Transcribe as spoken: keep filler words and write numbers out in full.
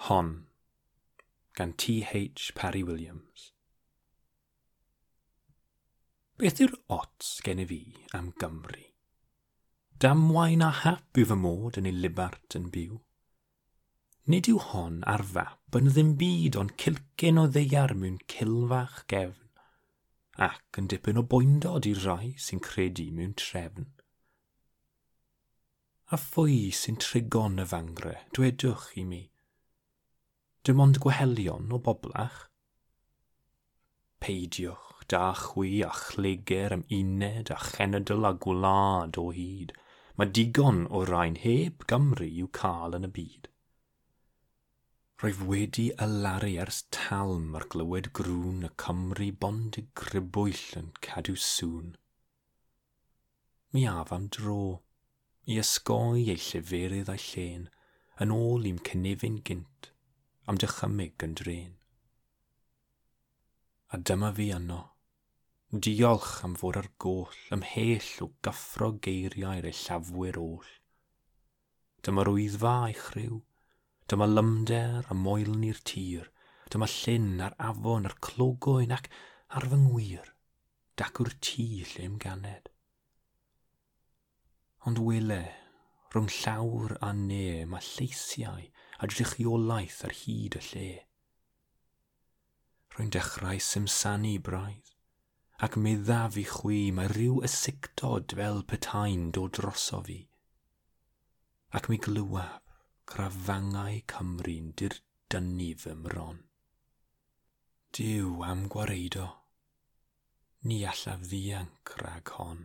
Hon, gan T H Parry Williams. Beth yw'r ots gennyf fi am Gymru? Damwain a hap yw fy mod yn ei libart yn byw. Nid yw hon ar fap yn ddim byd ond cilcyn o ddaear mewn cilfach gefn, ac yn dipyn o boendod i'r rai sy'n credu mewn trefn. A phwy sy'n trigon y fangre, dwedwch i mi? Dim ond gwahelion o boblach? Peidiwch da chwi a chleger am uned a chenedl a gwlad o hyd. Mae digon o rain heb Gymru i'w cael yn y byd. Rwyf wedi alaru ers talm ar glywed grŵn y Cymru bondig grybwyll yn cadw sŵn. Mi af am dro, i ysgoi ei lleferydd a'i llên, yn ôl i'm cynefin gynt, am dychymyg yn drên. A dyma fi yno, diolch am fod ar goll, ymhell o gyffro geiriau'r ellafwyr oll. Dyma'r wyddfa a'i chryw, dyma lymder a moelni'r tir, dyma llyn a'r afon a'r clogoen ac ar fy ngwir, dacw'r tŷ lle ganed. Ond wele, rhwng llawr a ne mae lleisiau a drychiolaeth ar hyd y lle. Rwy'n dechrau simsanu braidd, ac meddaf i chwi mae rhyw ysictod fel petai'n dod droso fi. Ac mi glywaf crafangau Cymru'n dirdynnu fy mron. Duw am gwareiddo, ni allaf ddianc rhag hon.